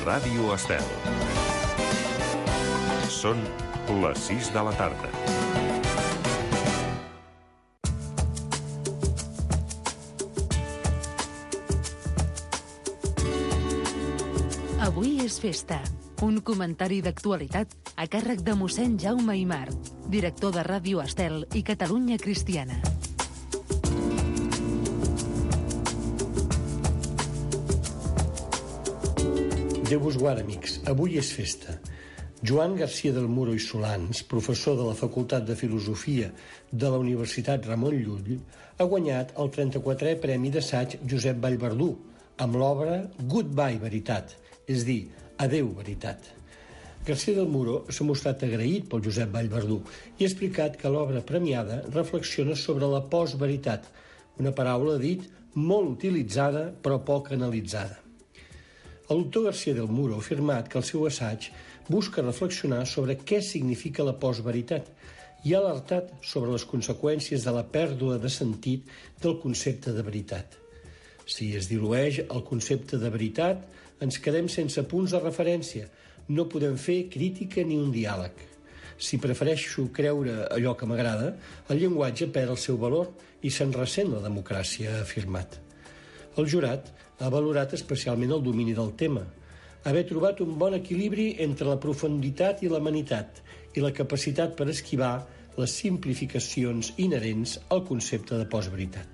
Ràdio Estel. Són les 6 de la tarda. Avui és festa. Un comentari d'actualitat a càrrec de mossèn Jaume Aimar, director de Ràdio Estel i Catalunya Cristiana. Déu vos guard, amics. Avui és festa. Joan García del Muro i Solans, professor de la Facultat de Filosofia de la Universitat Ramon Llull, ha guanyat el 34è Premi d'Assaig Josep Vallverdú amb l'obra Goodbye, Veritat, és dir, Adeu, Veritat. García del Muro s'ha mostrat agraït pel Josep Vallverdú i ha explicat que l'obra premiada reflexiona sobre la postveritat, una paraula, dit, molt utilitzada però poc analitzada. El doctor García del Muro ha afirmat que el seu assaig busca reflexionar sobre què significa la postveritat i ha alertat sobre les conseqüències de la pèrdua de sentit del concepte de veritat. Si es dilueix el concepte de veritat, ens quedem sense punts de referència. No podem fer crítica ni un diàleg. Si prefereixo creure allò que m'agrada, el llenguatge perd el seu valor i se'n ressent la democràcia, ha afirmat. El jurat ha valorat especialment el domini del tema, haver trobat un bon equilibri entre la profunditat i l'amenitat i la capacitat per esquivar les simplificacions inherents al concepte de postveritat.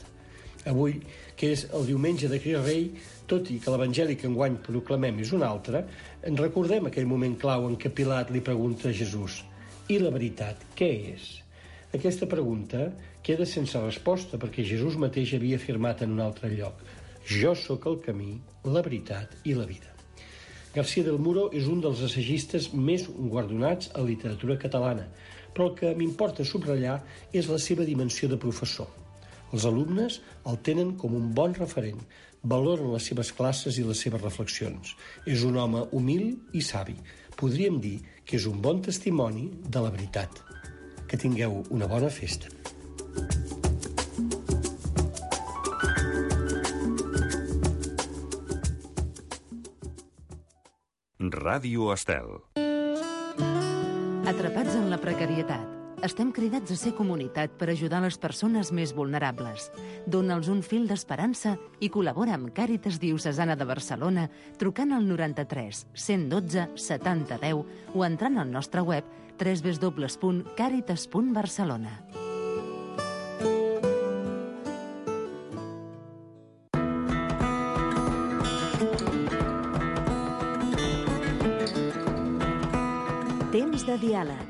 Avui, que és el diumenge de Crist Rei, tot i que l'evangeli que enguany proclamem és un altre, en recordem aquell moment clau en què Pilat li pregunta a Jesús: «I la veritat, què és?» Aquesta pregunta queda sense resposta perquè Jesús mateix havia afirmat en un altre lloc: «Jo sóc el camí, la veritat i la vida». García del Muro és un dels assagistes més guardonats a la literatura catalana, però el que m'importa subratllar és la seva dimensió de professor. Els alumnes el tenen com un bon referent, valoren les seves classes i les seves reflexions. És un home humil i savi. Podríem dir que és un bon testimoni de la veritat. Que tingueu una bona festa. Ràdio Estel. Atrapats en la precarietat. Estem cridats a ser comunitat per ajudar les persones més vulnerables. Dóna'ls un fil d'esperança i col·labora amb Càritas Diocesana de Barcelona trucant al 93 112 70 10 o entrant al nostre web www.caritas.barcelona. Temps de diàleg.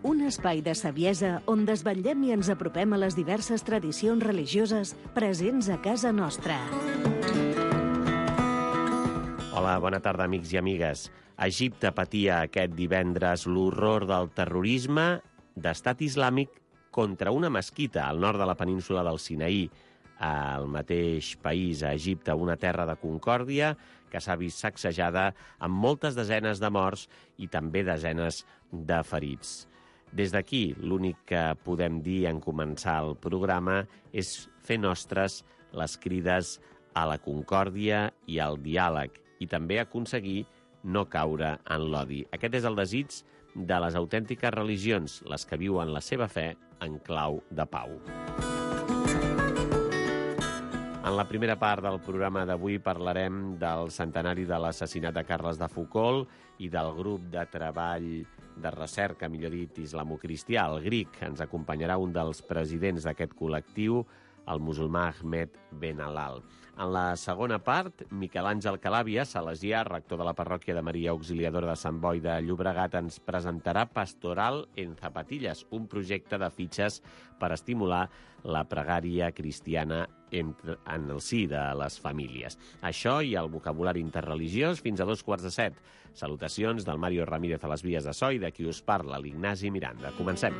Un espai de saviesa on desvetllem i ens apropem a les diverses tradicions religioses presents a casa nostra. Hola, bona tarda, amics i amigues. Egipte patia aquest divendres l'horror del terrorisme d'estat islàmic contra una mesquita al nord de la península del Sinaí, al mateix país, a Egipte, una terra de concòrdia que s'ha vist sacsejada amb moltes desenes de morts i també desenes de ferits. Des d'aquí, l'únic que podem dir en començar el programa és fer nostres les crides a la concòrdia i al diàleg i també aconseguir no caure en l'odi. Aquest és el desig de les autèntiques religions, les que viuen la seva fe en clau de pau. En la primera part del programa d'avui parlarem del centenari de l'assassinat de Carles de Foucauld i del grup de treball de recerca, millor dit, islamocristià, el GRIC. Ens acompanyarà un dels presidents d'aquest col·lectiu, el musulmà Ahmed Ben Alal. En la segona part, Miquel Àngel Calàbia, salesià, rector de la parròquia de Maria Auxiliadora de Sant Boi de Llobregat, ens presentarà Pastoral en Zapatillas, un projecte de fitxes per estimular la pregària cristiana en el si de les famílies. Això i el vocabulari interreligiós fins a 2:45. Salutacions del Mario Ramírez a les vies de so i de qui us parla, l'Ignasi Miranda. Comencem.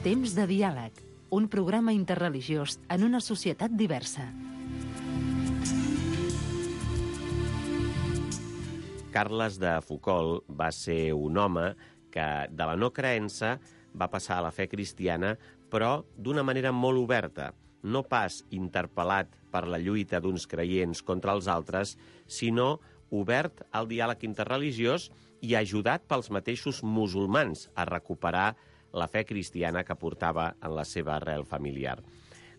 Temps de diàleg, un programa interreligiós en una societat diversa. Carles de Foucauld va ser un home que de la no creença va passar a la fe cristiana, però d'una manera molt oberta. no pas interpel·lat per la lluita d'uns creients contra els altres, sinó obert al diàleg interreligiós i ajudat pels mateixos musulmans a recuperar la fe cristiana que portava en la seva arrel familiar.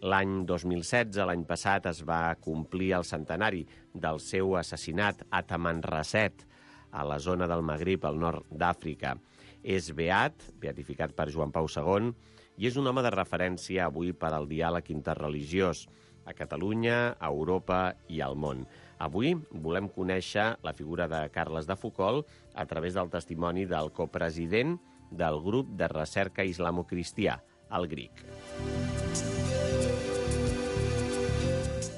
L'any 2016, l'any passat, es va complir el centenari del seu assassinat a Tamanrasset, a la zona del Magrib, al nord d'Àfrica. És beatificat per Joan Pau II, i és un home de referència avui per al diàleg interreligiós a Catalunya, a Europa i al món. Avui volem conèixer la figura de Carles de Foucauld a través del testimoni del copresident del grup de recerca islamo-cristià, el GRIC.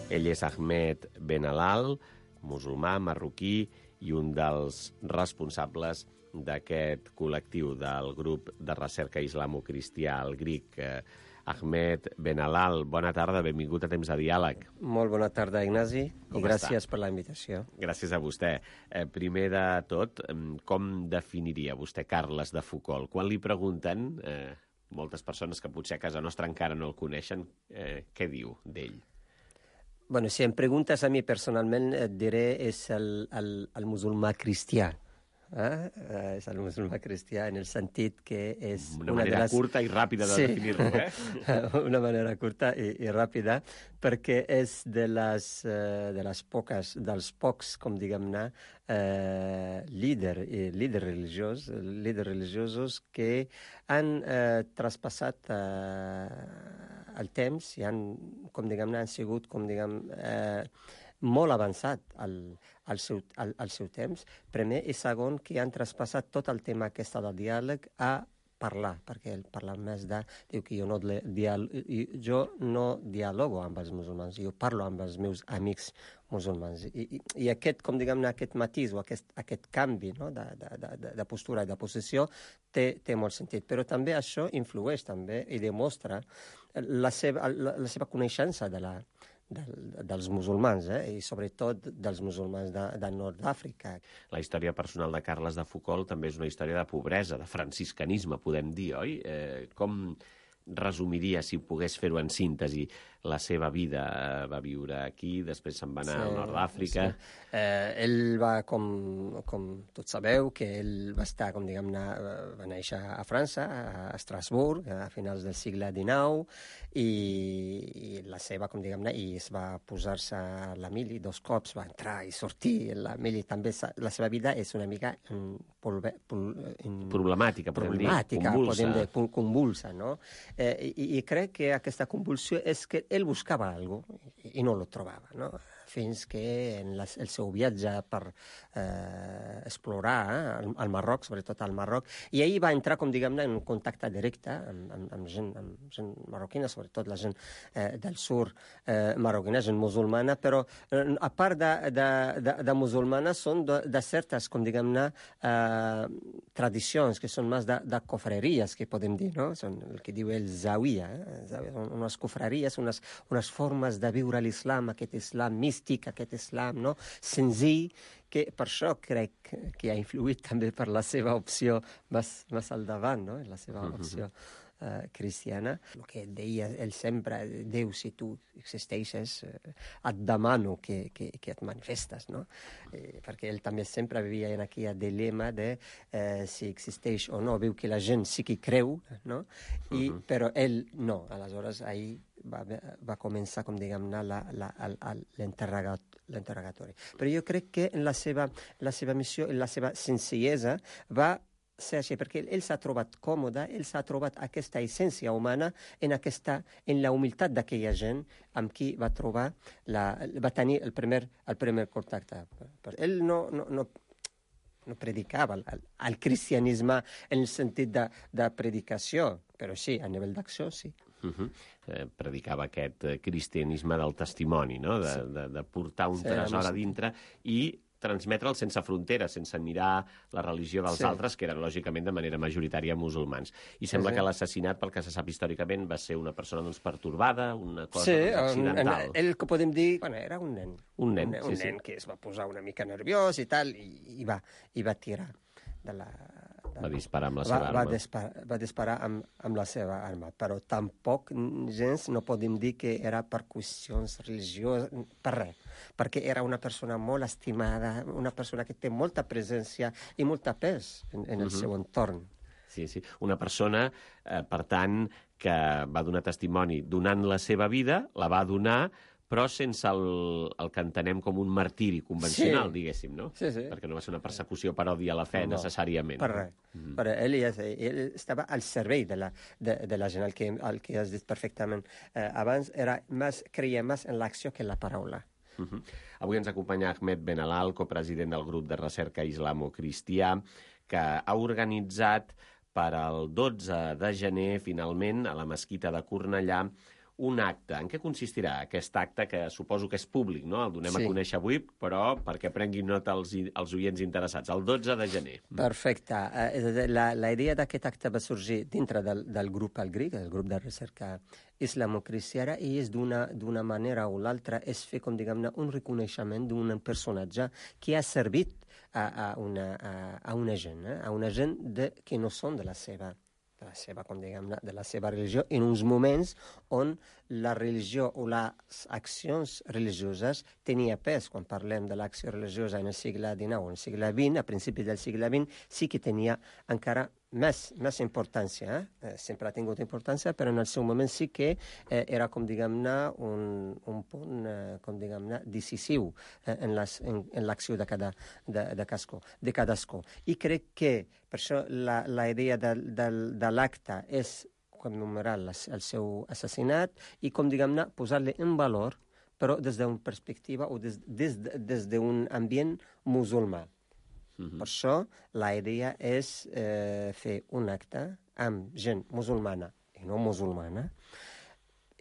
Ell és Ahmed Benallal, musulmà, marroquí, i un dels responsables d'aquest col·lectiu del grup de recerca islamo-cristià, el GRIC. Ahmed Benallal, bona tarda, benvingut a Temps de Diàleg. Molt bona tarda, Ignasi, i gràcies per la invitació. Gràcies a vostè. Primer de tot, com definiria vostè Carles de Foucauld? Quan li pregunten, moltes persones que potser a casa nostra encara no el coneixen, què diu d'ell? Bueno, si em preguntes a mi personalment, et diré és el musulmà cristià. És el musulmà cristià en el sentit que és una manera curta i ràpida de definir-lo, Una manera curta i ràpida, perquè és dels pocs, com diguem-ne, líders religiosos que han traspassat el temps i han sigut, molt avançat al seu temps. Primer i segon, que han traspassat tot el tema aquest del diàleg a parlar, perquè ell parla més diu que jo no dialogo amb els musulmans, jo parlo amb els meus amics musulmans. I aquest, aquest matís o aquest canvi, no, de postura i de posició té molt sentit. Però també això influeix també i demostra la seva coneixença dels musulmans, i sobretot dels musulmans del nord d'Àfrica. La història personal de Carles de Foucauld també és una història de pobresa, de franciscanisme, podem dir, oi? Com resumiria, si pogués fer-ho en síntesi, la seva vida? Va viure aquí, després se'n va anar al nord d'Àfrica. Sí. Ell va, com tots sabeu, que ell va estar, va néixer a França, a Estrasburg, a finals del segle XIX, i la seva, i es va posar-se a la mili 2 cops, va entrar i sortir. La mili també, la seva vida és una mica problemàtica, convulsa, no? I crec que aquesta convulsió és que ell buscava alguna cosa i no lo trobava, no? Fins que en el seu viatge per explorar al Marroc, sobretot al Marroc, i ahir va entrar, en contacte directe amb gent marroquina, sobretot la gent del sud marroquina, gent musulmana, però a part de musulmana són de certes, tradicions que són més de cofreries, que podem dir, no? Són el que diu el zawiya, unes cofreries, unes formes de viure l'islam, aquest islam místic, aquest islam, no? Senzill, que per això crec que ha influït també per la seva opció més al davant, no? La seva opció cristiana. El que deia ell sempre, Déu, si tu existeixes, et demano que et manifestes, no? Perquè ell també sempre vivia en aquell dilema de si existeix o no. Veu que la gent sí que creu, no? Però ell no. Aleshores, ahir va començar, l'interrogatori. Però jo crec que la seva missió, la seva senzillesa va ser així, perquè ell s'ha trobat còmode, ell s'ha trobat aquesta essència humana en la humilitat d'aquella gent amb qui va tenir el primer contacte. Ell no predicava el cristianisme en el sentit de predicació, però sí, a nivell d'acció, sí. Predicava aquest cristianisme del testimoni, no? De portar un tresor a dintre i transmetre'l sense fronteres, sense mirar la religió dels altres, que eren, lògicament, de manera majoritària musulmans. I sembla que l'assassinat, pel que se sap històricament, va ser una persona pertorbada, una cosa accidental. Sí, ell que podem dir, era un nen. Un nen que es va posar una mica nerviós i tal, i va tirar de Va disparar amb la seva arma. Va disparar amb la seva arma, però tampoc gens no podem dir que era per qüestions religioses, per res, perquè era una persona molt estimada, una persona que té molta presència i molta pes en el seu entorn. Sí, sí. Una persona, per tant, que va donar testimoni donant la seva vida, la va donar, però sense el que entenem com un martiri convencional, diguéssim, no? Sí, sí. Perquè no va ser una persecució per odi a la fe, necessàriament. Per res. Però ell estava al servei de la gent, el que has dit perfectament. Abans creia més en l'acció que en la paraula. Avui ens acompanya Ahmed Benalal, copresident del grup de recerca islamo-cristià, que ha organitzat per al 12 de gener, finalment, a la mesquita de Cornellà, un acte. En què consistirà aquest acte, que suposo que és públic, no? El donem a conèixer avui, però perquè prenguin nota els oients interessats. El 12 de gener. Perfecte. La idea d'aquest acte va sorgir dintre del grup al GRIC, el grup de recerca islamo-cristiana, i és d'una manera o l'altra és fer, com diguem-ne, un reconeixement d'un personatge que ha servit a una gent que no són de la seva, com diguem-ne, de la seva religió, en uns moments on la religió o les accions religioses tenia pes. Quan parlem de l'acció religiosa en el segle XIX o en el segle XX, a principis del segle XX, sí que tenia encara més importància. Sempre ha tingut importància, però en el seu moment sí que era, com diguem-ne, un punt, com diguem-ne, decisiu en l'acció de cadascú. I crec que, per això, la idea de l'acte és commemorar el seu assassinat i, com diguem-ne, posar-li en valor, però des d'una perspectiva o des d'un ambient musulmà. Per això la idea és fer un acte amb gent musulmana i no musulmana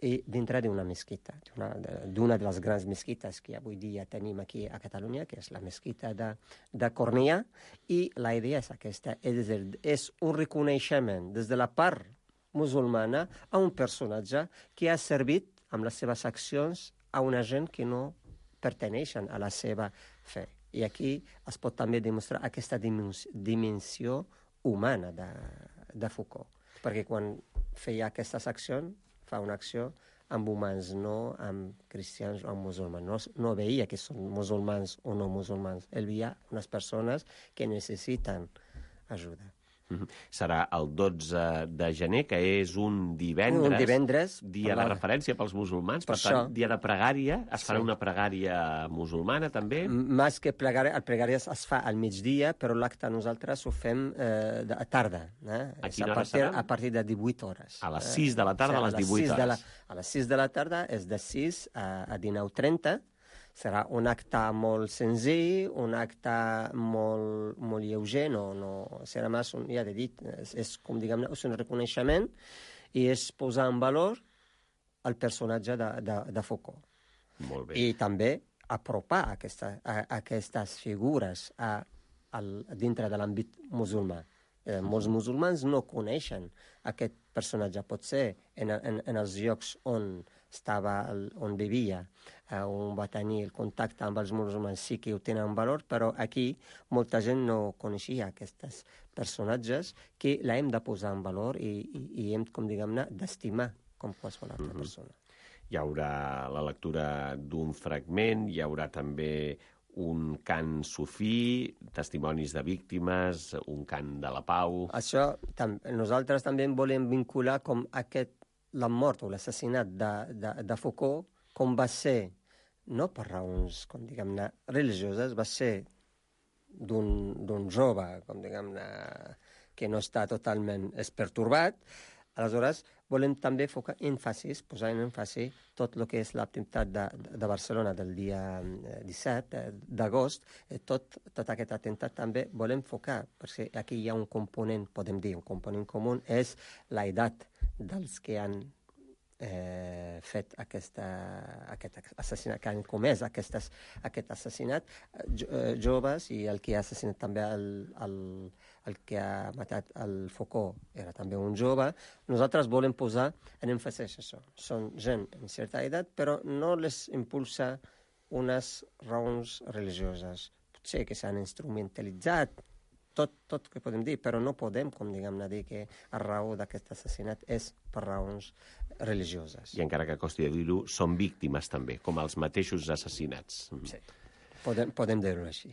i dintre d'una mesquita, d'una de les grans mesquites que avui dia tenim aquí a Catalunya, que és la mesquita de Cornellà, i la idea és aquesta, és un reconeixement des de la part musulmana a un personatge que ha servit amb les seves accions a una gent que no perteneixen a la seva fe. I aquí es pot també demostrar aquesta dimensió humana de Foucault. Perquè quan feia aquestes accions, fa una acció amb humans, no amb cristians o amb musulmans. No veia que són musulmans o no musulmans. Ell veia unes persones que necessiten ajuda. Serà el 12 de gener, que és un divendres. Un divendres. Dia de referència pels musulmans. Per tant, dia de pregària. Es farà una pregària musulmana, també? Més que pregària, el pregària es fa al migdia, però l'acte nosaltres ho fem a tarda. A quina hora serà? A partir de 18 hores. A les 6 de la tarda, a les 18 hores. A les 6 de la tarda és de 6 a 19:30. Serà un acte molt senzill, un acte molt lleuger, no serà més, ja he dit, és com diguem-ne, és un reconeixement i és posar en valor el personatge de Foucault. Molt bé. I també apropar aquestes figures dintre de l'àmbit musulmà. Molts musulmans no coneixen aquest personatge. Potser en els llocs on vivia, on va tenir el contacte amb els musulmans, sí que ho tenen valor, però aquí molta gent no coneixia aquests personatges que l'hem de posar en valor i hem, com diguem-ne, d'estimar com qualsevol altra persona. Hi haurà la lectura d'un fragment, hi haurà també un cant sufí, testimonis de víctimes, un cant de la pau... Això, nosaltres també volem vincular com la mort o l'assassinat de Foucault, com va ser, no per raons, com diguem-ne, religioses, va ser d'un jove, com diguem-ne, que no està totalment pertorbat. Aleshores, volem també posar en èmfasi tot el que és l'atemptat de Barcelona del dia 17 d'agost. Tot aquest atemptat també volem focar, perquè aquí hi ha un component, podem dir, un component comú, és l'edat dels que han fet aquest assassinat, que han comès aquest assassinat, joves, i el que ha assassinat també el que ha matat el Foucault era també un jove. Nosaltres volem posar en èmfasi això. Són gent en certa edat, però no les impulsa unes raons religioses. Potser que s'han instrumentalitzat tot que podem dir, però no podem, com diguem-ne, dir que la raó d'aquest assassinat és per raons religioses. I encara que costi de dir-ho, són víctimes també, com els mateixos assassinats. Sí, podem dir-ho així.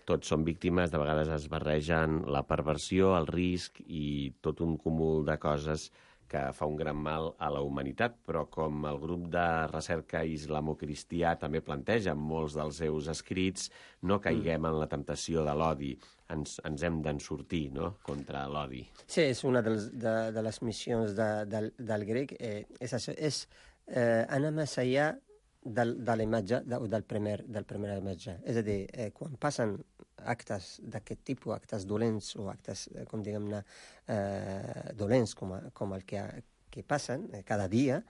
Tots són víctimes, de vegades es barregen la perversió, el risc i tot un cúmul de coses que fa un gran mal a la humanitat, però com el grup de recerca islamo-cristià també planteja en molts dels seus escrits, no caiguem en la temptació de l'odi. Ens hem d'en sortir, no?, contra l'odi. Sí, és una de les missions del grec. És això, és anar més enllà de la imatge o del primer imatge. És a dir, quan passen actes d'aquest tipus, actes dolents o actes, com diguem-ne, dolents com el que passen cada dia,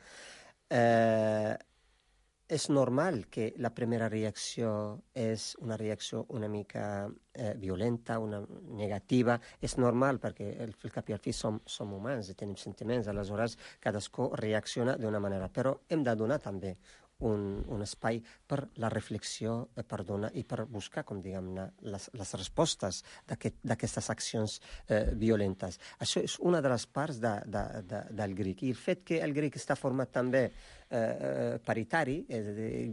és normal que la primera reacció és una reacció una mica violenta, una negativa. És normal perquè al cap i al fi som humans i tenim sentiments, aleshores cadascú reacciona d'una manera. Però hem de donar també un espai per la reflexió, per donar i per buscar, com diguem-ne, les respostes d'aquestes accions violentes. Això és una de les parts del grec. I el fet que el grec està format també paritari, és a dir,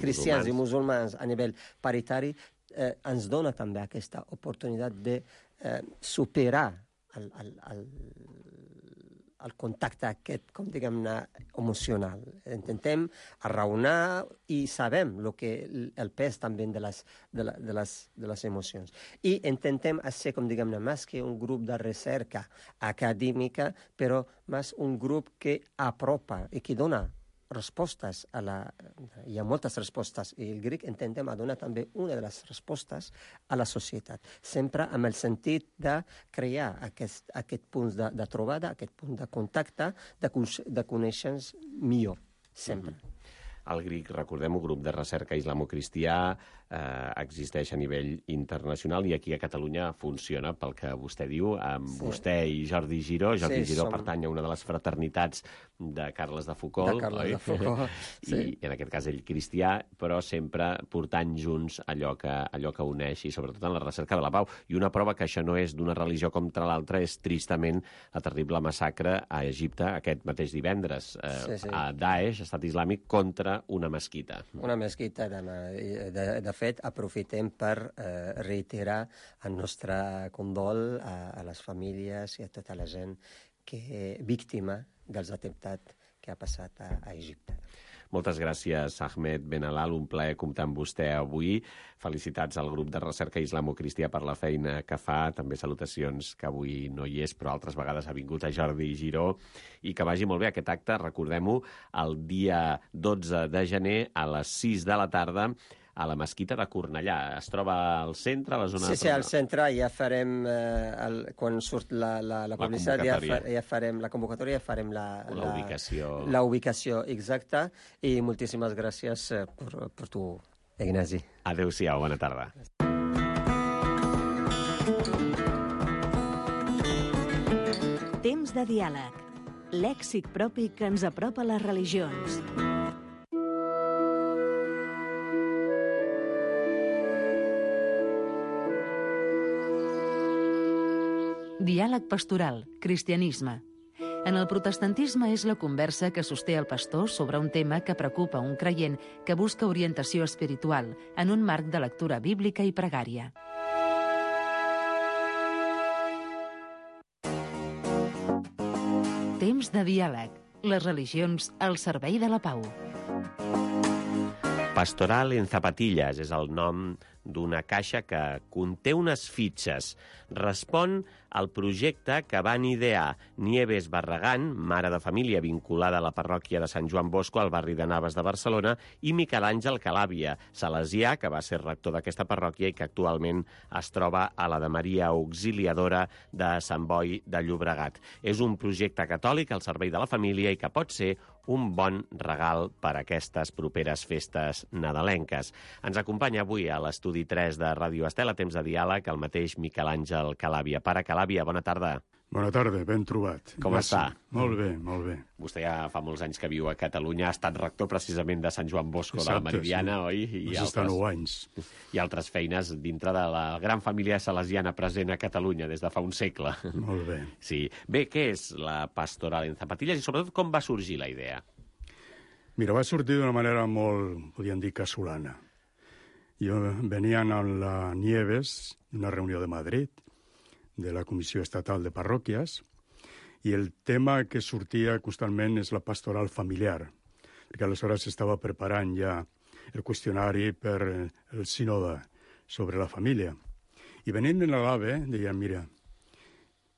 cristians i musulmans a nivell paritari, ens dona també aquesta oportunitat de superar el contacte aquest, com diguem-ne, emocional. Intentem arraonar i sabem el pes també de les emocions. I intentem ser, com diguem-ne, més que un grup de recerca acadèmica, però més un grup que apropa i que dona respostes hi ha moltes respostes, i el grec intentem donar també una de les respostes a la societat, sempre amb el sentit de crear aquest punt de trobada, aquest punt de contacte, de conèixer-nos millor, sempre. El GRIC, recordem, un grup de recerca islamo-cristià, existeix a nivell internacional i aquí a Catalunya funciona pel que vostè diu, amb vostè i Jordi Giró. Jordi Giró pertany a una de les fraternitats de Carles de Foucault, oi? De Foucault, sí. I en aquest cas ell cristià, però sempre portant junts allò que uneix, i sobretot en la recerca de la pau. I una prova que això no és d'una religió contra l'altra és tristament la terrible massacre a Egipte aquest mateix divendres. A Daesh, Estat Islàmic, contra una mesquita. Una mesquita, de fet, aprofitem per reiterar el nostre condol a les famílies i a tota la gent víctima dels atemptats que ha passat a Egipte. Moltes gràcies, Ahmed Benalal, un plaer comptar amb vostè avui. Felicitats al grup de recerca islamo-cristià per la feina que fa. També salutacions, que avui no hi és, però altres vegades ha vingut a Jordi Giró. I que vagi molt bé aquest acte, recordem-ho, el dia 12 de gener a les 6 de la tarda, a la Mesquita de Cornellà. Es troba al centre, a la zona... Sí, al centre ja farem, quan surt la publicitat, ja farem la convocatòria, ja farem la ubicació. La ubicació exacta, i moltíssimes gràcies per tu, Ignasi. Adéu-siau, bona tarda. Temps de diàleg. Lèxic propi que ens apropa a les religions. Diàleg pastoral, cristianisme. En el protestantisme és la conversa que sosté el pastor sobre un tema que preocupa un creient que busca orientació espiritual en un marc de lectura bíblica i pregària. Temps de diàleg. Les religions al servei de la pau. Pastoral en zapatillas és el nom d'una caixa que conté unes fitxes. Respon al projecte que van idear Nieves Barragán, mare de família vinculada a la parròquia de Sant Joan Bosco al barri de Navas de Barcelona, i Miquel Àngel Calàbia, salesià, que va ser rector d'aquesta parròquia i que actualment es troba a la de Maria Auxiliadora de Sant Boi de Llobregat. És un projecte catòlic al servei de la família i que pot ser un bon regal per a aquestes properes festes nadalenques. Ens acompanya avui a l'estudi 3 de Ràdio Estel, a Temps de diàleg, el mateix Miquel Àngel Calàbia. Pare Calàbia, bona tarda. Bona tarda, ben trobat. Com està? Molt bé, molt bé. Vostè ja fa molts anys que viu a Catalunya, ha estat rector precisament de Sant Joan Bosco de la Meridiana, oi? Vas estar 9 anys. I altres feines dintre de la gran família salesiana present a Catalunya des de fa un segle. Molt bé. Sí. Bé, què és la Pastoral en Zapatillas i sobretot com va sorgir la idea? Mira, va sortir d'una manera molt, podríem dir, casolana. Jo venia amb la Nieves d'una reunió de Madrid, de la Comissió Estatal de Parròquies, i el tema que sortia constantment és la pastoral familiar, perquè aleshores s'estava preparant ja el qüestionari per el sínode sobre la família. I venint en l'AVE, deia, mira,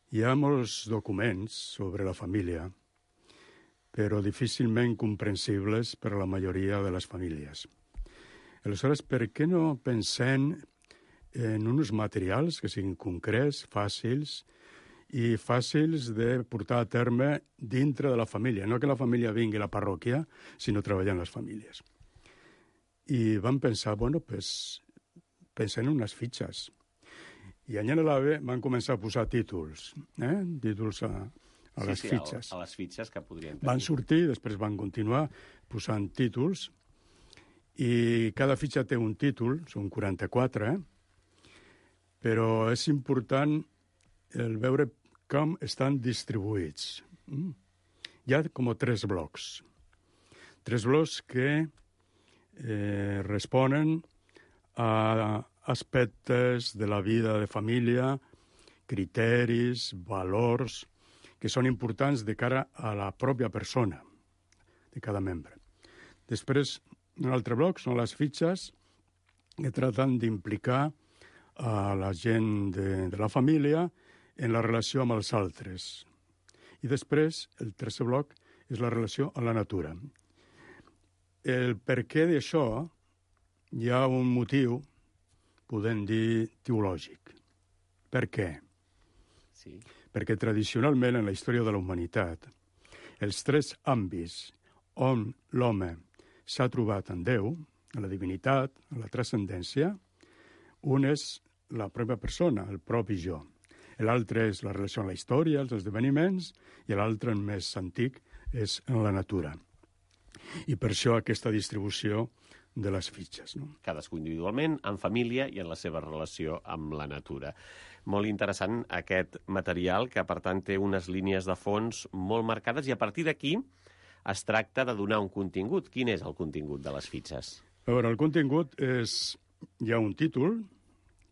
hi ha molts documents sobre la família, però difícilment comprensibles per a la majoria de les famílies. Aleshores, per què no pensem en uns materials que siguin concrets, fàcils, i fàcils de portar a terme dintre de la família. No que la família vingui a la parròquia, sinó treballar en les famílies. I vam pensar, bueno, pues, pensem en unes fitxes. I allà a l'AVE van començar a posar títols, títols a les fitxes. A les fitxes que podrien tenir. Van sortir, després van continuar posant títols, i cada fitxa té un títol, són 44, però és important el veure com estan distribuïts. Hi ha com 3 blocs. 3 blocs que responen a aspectes de la vida de família, criteris, valors, que són importants de cara a la pròpia persona de cada membre. Després, un altre bloc són les fitxes que tracten d'implicar a la gent de la família en la relació amb els altres. I després, el tercer bloc és la relació amb la natura. El perquè d'això hi ha un motiu, podem dir, teològic. Per què? Sí. Perquè tradicionalment en la història de la humanitat, els 3 àmbits on l'home s'ha trobat en Déu, a la divinitat, a la transcendència, un és la pròpia persona, el propi jo. L'altre és la relació amb la història, els esdeveniments, i l'altre, més antic, és en la natura. I per això aquesta distribució de les fitxes. No? Cadascú individualment, en família i en la seva relació amb la natura. Molt interessant aquest material, que per tant té unes línies de fons molt marcades, i a partir d'aquí es tracta de donar un contingut. Quin és el contingut de les fitxes? A veure, el contingut és... Hi ha un títol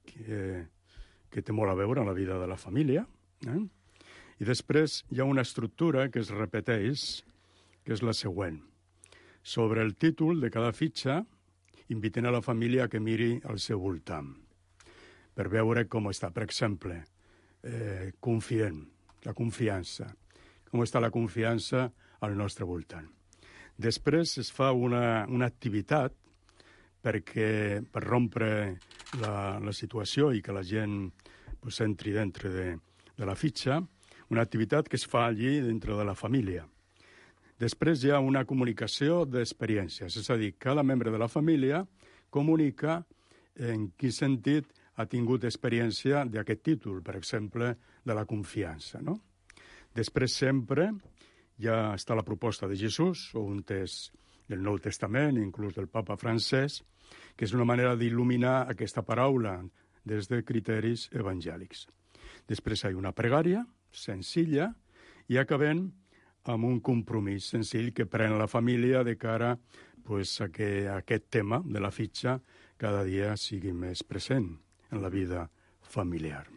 que té molt a veure amb la vida de la família, i després hi ha una estructura que es repeteix, que és la següent. Sobre el títol de cada fitxa, inviten a la família que miri al seu voltant, per veure com està, per exemple, confient, la confiança, com està la confiança al nostre voltant. Després es fa una activitat per rompre la situació i que la gent entri dintre de la fitxa, una activitat que es fa allí dintre de la família. Després hi ha una comunicació d'experiències, és a dir, cada membre de la família comunica en quin sentit ha tingut experiència d'aquest títol, per exemple, de la confiança. No? Després sempre ja està la proposta de Jesús, o un text del Nou Testament, inclús del papa francès, que és una manera d'il·luminar aquesta paraula des de criteris evangèlics. Després hi ha una pregària senzilla i acabem amb un compromís senzill que pren la família de cara a que aquest tema de la fitxa cada dia sigui més present en la vida familiar.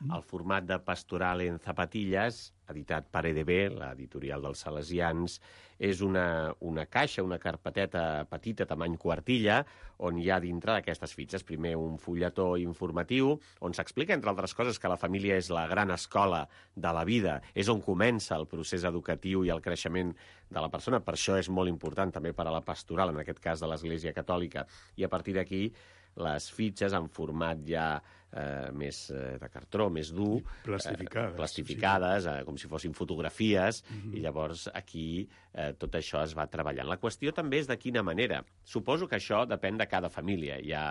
El format de Pastoral en Zapatillas, editat per EDB, l'editorial dels Salesians, és una caixa, una carpeteta petita, tamany quartilla, on hi ha dintre d'aquestes fitxes primer un fulletó informatiu, on s'explica, entre altres coses, que la família és la gran escola de la vida, és on comença el procés educatiu i el creixement de la persona. Per això és molt important també per a la pastoral, en aquest cas de l'Església Catòlica. I a partir d'aquí les fitxes en format ja més de cartró, més dur, plastificades, com si fossin fotografies, i llavors aquí tot això es va treballant. La qüestió també és de quina manera. Suposo que això depèn de cada família. Hi ha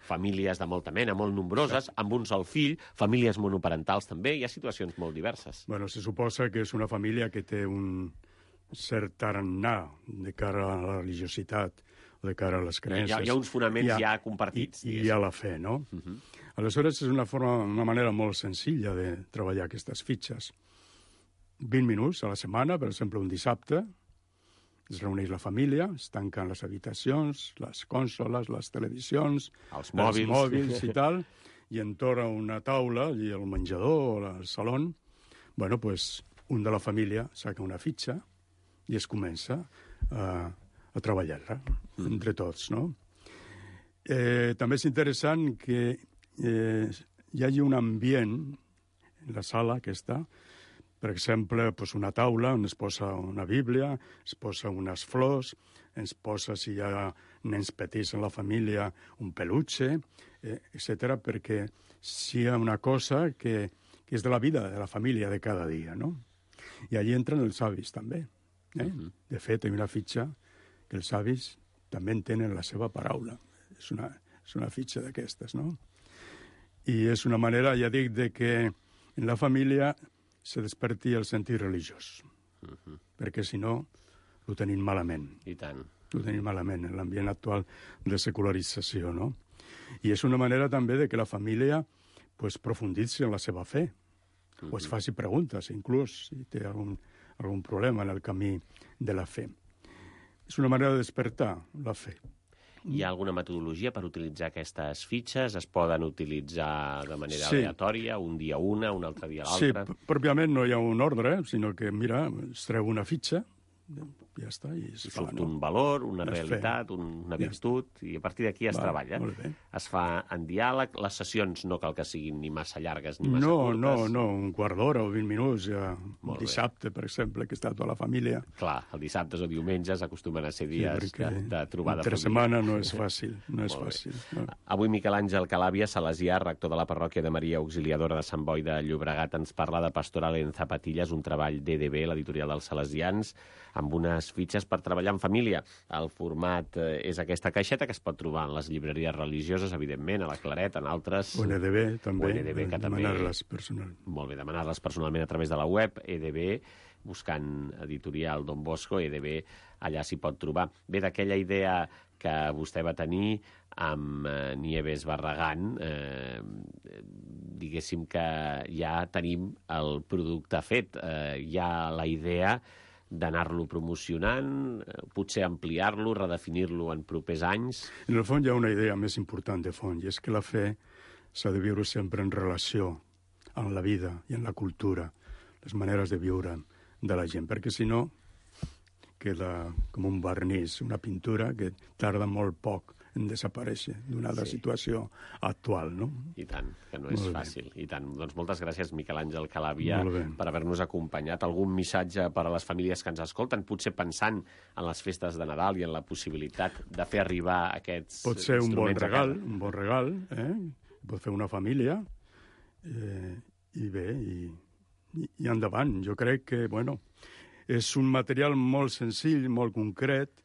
famílies de molta mena, molt nombroses, amb un sol fill, famílies monoparentals també, hi ha situacions molt diverses. Bueno, se suposa que és una família que té un cert tarannà de cara a la religiositat, o de cara a les creences. Hi ha uns fonaments ja compartits. I a la fe, no? Aleshores, és una manera molt senzilla de treballar aquestes fitxes. 20 minuts a la setmana, per exemple, un dissabte, es reuneix la família, es tanquen les habitacions, les consoles, les televisions, els mòbils i tal, i entorn a una taula, allí al menjador o al saló, bueno, pues, un de la família saca una fitxa i es comença a treballar-la entre tots, no? També és interessant que hi hagi un ambient en la sala aquesta, per exemple, pues una taula on es posa una Bíblia, es posa unes flors, es posa, si hi ha nens petits en la família, un peluche, etc., perquè sigui una cosa que és de la vida de la família de cada dia, no? I allí entren els avis, també. De fet, hi ha una fitxa que els avis també en tenen la seva paraula. És una fitxa d'aquestes, no? I és una manera, ja dic, de que en la família se desperti el sentit religiós. Perquè, si no, ho tenim malament. I tant. Ho tenim malament en l'ambient actual de secularització, no? I és una manera també de que la família pues, profunditzi en la seva fe, o es faci preguntes, inclús, si té algun problema en el camí de la fe. És una manera de despertar la fe. Hi ha alguna metodologia per utilitzar aquestes fitxes? Es poden utilitzar de manera aleatòria, un dia una, un altre dia l'altre? Sí, pròpiament no hi ha un ordre, sinó que, mira, es treu una fitxa, ja està, i es fa, surt un valor, una realitat, una virtut, i a partir d'aquí es treballa. Es fa en diàleg, les sessions no cal que siguin ni massa llargues ni massa curtes. No, un quart d'hora o 20 minuts, ja. Dissabte, per exemple, que està tota la família. Clar, el dissabtes o diumenges acostumen a ser dies de trobada entre setmana no és fàcil, no és fàcil. Avui Miquel Àngel Calàbia, salesià, rector de la parròquia de Maria Auxiliadora de Sant Boi de Llobregat, ens parla de Pastoral en Zapatillas, un treball d'EDB, l'editorial dels salesians, amb unes fitxes per treballar en família. El format és aquesta caixeta que es pot trobar en les llibreries religioses, evidentment, a la Claret, en altres... O en EDB, també. O en EDB, que també... Demanar-les personalment. Molt bé, demanar-les personalment a través de la web, EDB, buscant editorial Don Bosco, EDB, allà s'hi pot trobar. Ve d'aquella idea que vostè va tenir amb Nieves Barragán, diguéssim que ja tenim el producte fet, hi ha la idea d'anar-lo promocionant, potser ampliar-lo, redefinir-lo en propers anys? En el fons hi ha una idea més important de fons, i és que la fe s'ha de viure sempre en relació amb la vida i amb la cultura, les maneres de viure de la gent, perquè si no queda com un vernís, una pintura que tarda molt poc en desaparèixer d'una situació actual, no? I tant, que no és fàcil. I tant. Doncs moltes gràcies, Miquel Àngel Calàbia, per haver-nos acompanyat. Algun missatge per a les famílies que ens escolten, potser pensant en les festes de Nadal i en la possibilitat de fer arribar aquests pot ser un bon regal, pot fer una família, i bé, i endavant. Jo crec que, bueno, és un material molt senzill, molt concret,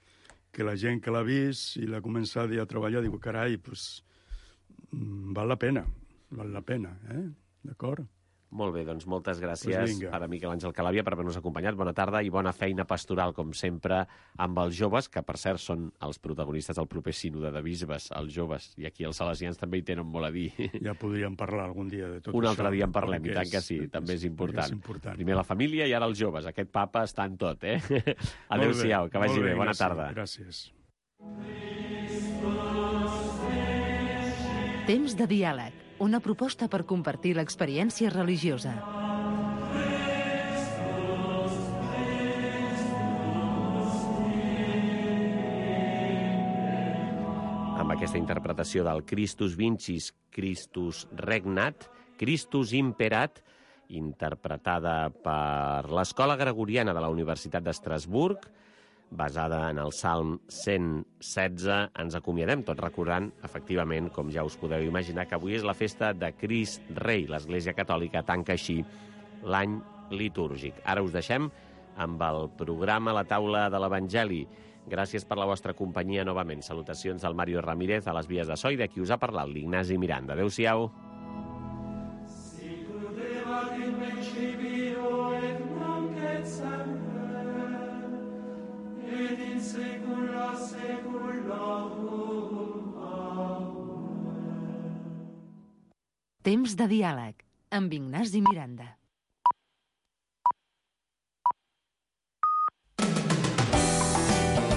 que la gent que l'ha vist i l'ha començat a treballar diu, carai, doncs, val la pena, d'acord? Molt bé, doncs moltes gràcies a Miquel Àngel Calàbia per haver-nos acompanyat. Bona tarda i bona feina pastoral, com sempre, amb els joves, que per cert són els protagonistes del proper sínode de bisbes, els joves, i aquí els salesians també hi tenen molt a dir. Ja podríem parlar algun dia de tot això. Un altre dia en parlem, i tant que sí, també és important. Primer la família i ara els joves. Aquest papa està en tot, eh? Adéu-siau, que vagi bé, bona tarda. Gràcies. Temps de diàleg. Una proposta per compartir l'experiència religiosa. Amb aquesta interpretació del Christus Vincis, Christus Regnat, Christus Imperat, interpretada per l'Escola Gregoriana de la Universitat d'Estrasburg, basada en el Salm 116. Ens acomiadem tot recordant, efectivament, com ja us podeu imaginar, que avui és la festa de Crist Rei. L'Església Catòlica tanca així l'any litúrgic. Ara us deixem amb el programa La Taula de l'Evangeli. Gràcies per la vostra companyia novament. Salutacions del Mario Ramírez a les vies de so i de qui us ha parlat, l'Ignasi Miranda. Adéu-siau. Temps de diàleg amb Ignasi Miranda.